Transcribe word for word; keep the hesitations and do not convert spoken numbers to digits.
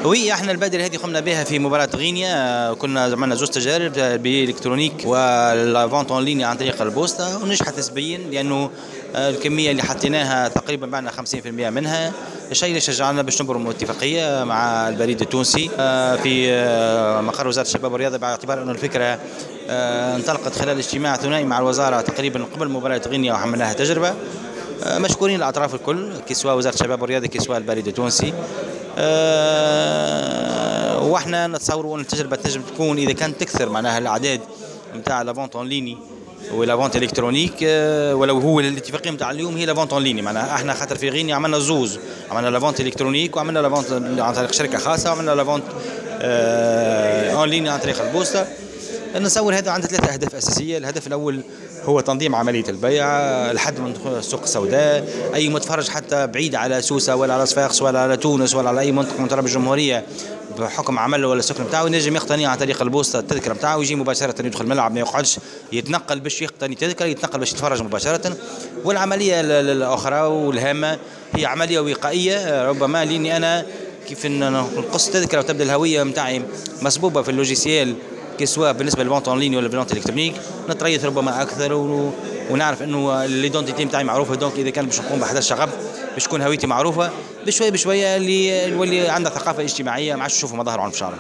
oui، احنا البادرة هذه قمنا بها في مباراة غينيا. كنا عملنا زوج تجارب، billet électronique و la vente en ligne عن طريق البوسطه، ونجحت نسبيا لانه الكمية اللي حطيناها تقريبا بعنا خمسين في المية منها، الشيء اللي شجعنا باش نبرموا اتفاقية مع البريد التونسي في مقر وزارة الشباب والرياضه، باعتبار انه الفكرة انطلقت خلال اجتماع ثنائي مع الوزارة تقريبا قبل مباراة غينيا وعملناها تجربه. مشكورين الاطراف الكل، que ce soit وزارة الشباب والرياضه، que ce soit البريد التونسي. أه واحنا نتصوروا ان التجربة تنجم تكون اذا كانت تكثر معناها الاعداد نتاع la vente en ligne و la vente électronique، ولو هو الاتفاقية نتاع اليوم هي la vente en ligne. معناها احنا خاطر في غينيا عملنا زوز، عملنا la vente électronique وعملنا la vente عن طريق شركة خاصه، وعملنا la vente en ligne عن طريق البوسطه. نتصور هذا عنده ثلاثة أهداف أساسية. الهدف الأول هو تنظيم عملية البيع، الحد من السوق السوداء. أي متفرج حتى بعيد على سوسة ولا على صفاقس ولا على تونس ولا على أي منطقة من تراب الجمهورية، بحكم عمله ولا السكن نتاعو، ينجم يقتني عن طريق البوسطة التذكرة نتاعو ويجي مباشرة يدخل الملعب، ما يقعدش يتنقل باش يقتني تذكرة، يتنقل باش يتفرج مباشرة. والعملية الأخرى والهامة هي عملية وقائية ربما، لأني أنا كيف نقص التذكرة وتبدا الهوية نتاعي مصبوبة في ال logiciel، que ce soit بالنسبة لل vente en ligne ولا vente électronique، نتريث ربما اكثر و... ونعرف انه l'identité نتاعي معروفه، donc اذا كان باش نقوم بأحداث شغب باش تكون هويتي معروفه. بشوية بشوية اللي نولي عندنا ثقافة اجتماعيه، ما عادش نشوفوا مظاهر عنف في الشارع.